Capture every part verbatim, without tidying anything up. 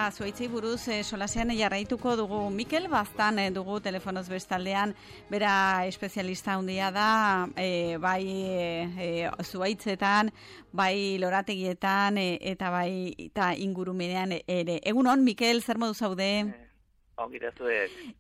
eta zuaitzei buruz e, solasean jarraituko dugu. Mikel Baztan e, dugu telefonoz bestaldean, bera espezialista handia da, e, bai e, zuaitzetan, bai lorategietan e, eta bai eta ingurumenean ere. Egunon, Mikel, zer modu zaude?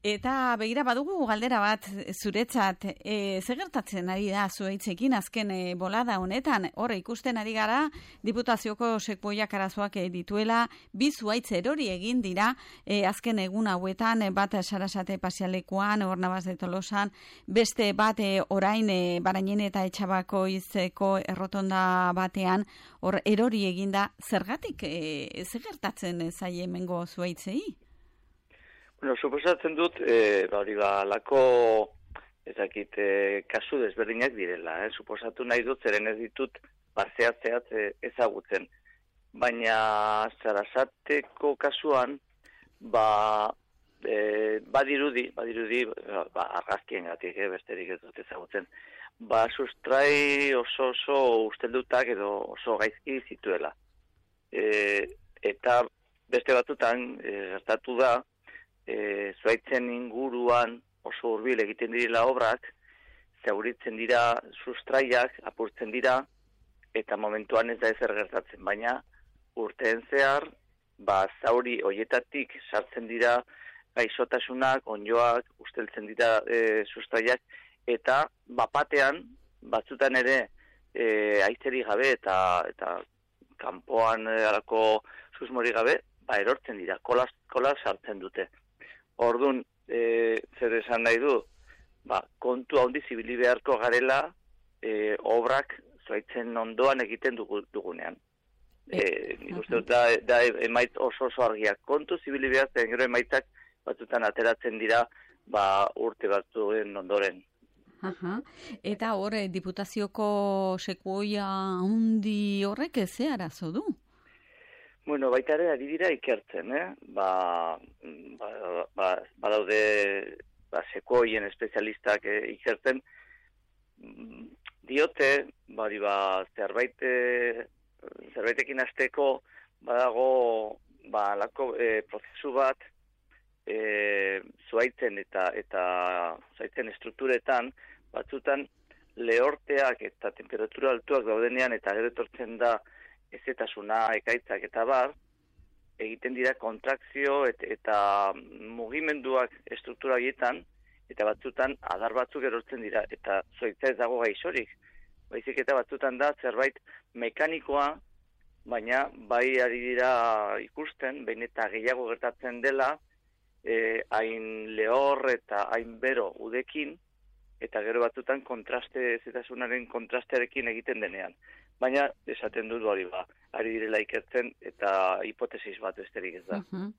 Eta begira badugu galdera bat zuretzat, e, zer gertatzen ari da zuaitzekin azken e, bolada honetan, horre ikusten ari gara Diputazioko sekuoiak arazoak e, dituela, bi zuaitz erori egin dira e, azken egun hauetan, e, bat Sarasate pasialekuan, Ornabas de Tolosan, beste bat e, orain e, Barainen eta Etxabakoitzeko errotonda batean, hor erori eginda, zergatik e, zer gertatzen zaie hemengo zuaitzei? Bueno, suposatzen dut, e, ba, hori ba, lako, ezakit, e, kasu desberdinak direla, eh? Suposatu nahi dut, zeren ez ditut, bazeat-zeat e, ezagutzen. Baina, Sarasateko kasuan, ba, e, badirudi, badirudi, ba, argazkien gatik, eh, besterik ez dut ezagutzen, ba, sustrai oso oso usteldutak edo oso gaizki zituela. E, eta beste batutan, e, gertatu da, E, zuaitzen inguruan oso hurbil egiten direla obrak, zauritzen dira sustraiak, apurtzen dira, eta momentuan ez da ezer gertatzen, baina urteen zehar, ba, zauri hoietatik sartzen dira gaixotasunak, onjoak, usteltzen dira e, sustraiak, eta bapatean, batzutan ere, e, aitzeri gabe eta eta kanpoan e, alako susmori gabe, ba, erortzen dira, kolas, kolas sartzen dute. Orduan, e, zer esan nahi du, ba, kontu handi zibili beharko garela e, obrak zuaitzen ondoan egiten dugu, dugunean. E, nik uste dut da, da emait oso oso argiak. Kontu zibili behar, zen gero emaitzak batzutan ateratzen dira ba, urte batzuen ondoren. Aha. Eta hor, Diputazioko sekuoia handi horrek ze arazo du? Bueno, baita ere ari dira ikertzen, eh? Ba, ba, ba, badaude ba, sekuoien espezialistak eh, ikertzen. Diote, bari ba, zerbait, eh, zerbaitekin hasteko badago ba, lako, eh, prozesu bat eh, zuaitzen eta eta zuaitzen estrukturetan, batzutan lehorteak eta temperatura altuak daudenean eta gero etortzen da ezetasuna, ekaitzak eta bar, egiten dira kontrakzio et, eta mugimenduak estruktura horietan, eta batzutan adar batzuk erortzen dira, eta zuaitza ez dago gaixorik. Baizik eta batzutan da zerbait mekanikoa, baina bai ari dira ikusten, behin eta gehiago gertatzen dela, eh, hain lehor eta hain bero udekin, eta gero batzutan kontraste, ezetasunaren kontrastearekin egiten denean. Baina esaten dut hori ba, ari direla ikertzen eta hipotesis bat besterik ez da. Uh-huh.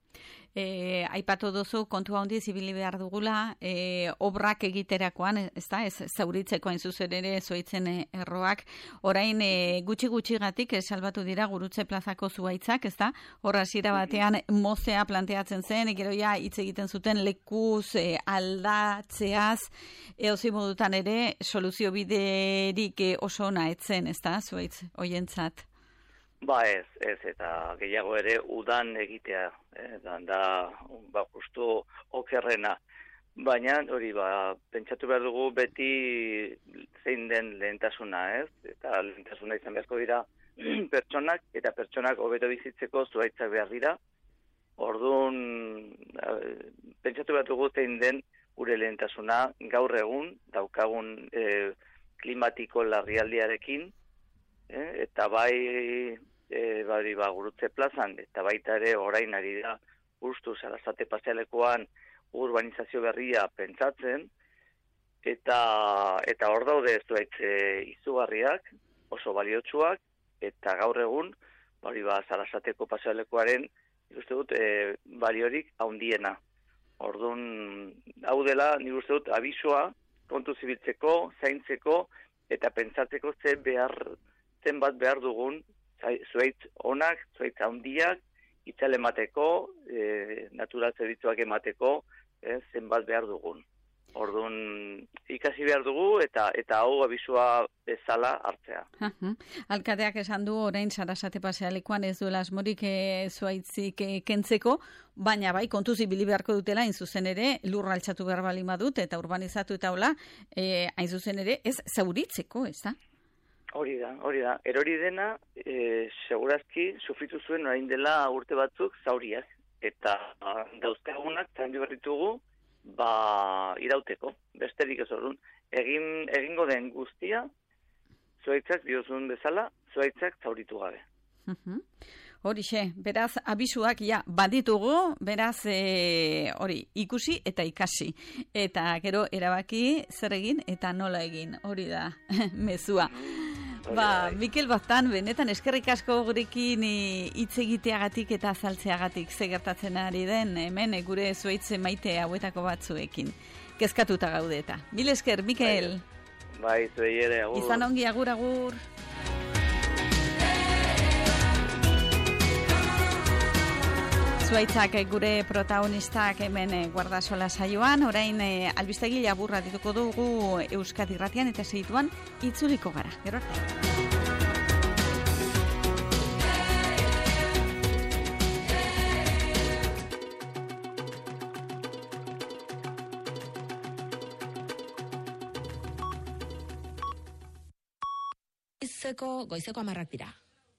E, aipatu duzu kontu handi zibili behar dugula, e, obrak egiterakoan, ez da, ez zauritzeko hain zuzen ere zuaitzen erroak, orain e, gutxi-gutxigatik e, salbatu dira Gurutze plazako zuaitzak, ez da, horra hasiera batean mozea planteatzen zen, gero ja hitz egiten zuten lekuz e, aldatzeaz, eozi modutan ere soluzio biderik e, oso ona etzen, ez da, zuaitz hoientzat. Ba ez, ez, eta gehiago ere udan egitea, eh, da, da ba, justu okerrena. Baina, hori, ba, pentsatu behar dugu beti zein den lehentasuna, ez? Eta lehentasuna izan beharko dira pertsonak, eta pertsonak hobeto bizitzeko zuaitzak behar dira. Orduan, pentsatu behar dugu zein den gure lehentasuna gaur egun, daukagun eh, klimatiko larrialdiarekin, Eh, eta bai e, bari ba, Gurutze plazan, eta baita ere orain ari da justu Sarasate pasialekuan urbanizazio berria pentsatzen, eta eta hor daude zuaitz izugarriak, oso baliotsuak, eta gaur egun bari ba, Sarasateko pasialekuaren ikuste dut e, baliorik handiena. Orduan, hau dela, nik uste dut abisua kontu zibiltzeko, zaintzeko, eta pentsatzeko ze behar zenbat behar dugun, zuaitz onak, zuaitz handiak, itzal emateko, e, natural zerbitzuak emateko, e, zenbat behar dugun. Orduan ikasi behar dugu eta eta hau abisua bezala hartzea. Alkateak esan du orain Sarasate pasealekuan ez duela asmorik e, zuaitzik e, kentzeko, baina bai kontuz ibili beharko dutela hain zuzen ere lurra altxatu behar bali madut eta urbanizatu eta hola e, hain zuzen ere ez zauritzeko, ez da? Hori da, hori da. Erori dena e, segurazki sufritu zuen orain dela urte batzuk zauriak eta dauzkagunak zaindu behar ditugu ba irauteko, besterik ez orduan. Egin, egingo den guztia, zuaitzak diozun bezala, zuaitzak zauritu gabe. Uh-huh. Horixe, beraz, abisuak ja baditugu, beraz, e, hori, ikusi eta ikasi. Eta gero erabaki zer egin eta nola egin, hori da, mezua. Ba, Mikel Baztan, benetan eskerrik asko gurekin hitz egiteagatik eta azaltzeagatik ze gertatzen ari den hemen gure zuaitze maite hauetako batzuekin. Kezkatuta gaude eta. Mil esker, Mikel. Bai, zuei ere, agur. Izan ongi, agur, agur. Zuaitzak gure protagonistak hemen Guardasola saioan, orain e, albistegi laburra dituko dugu Euskadi Irratian eta segituan itzuliko gara. Gero arte. Goizeko, goizeko amarrak dira.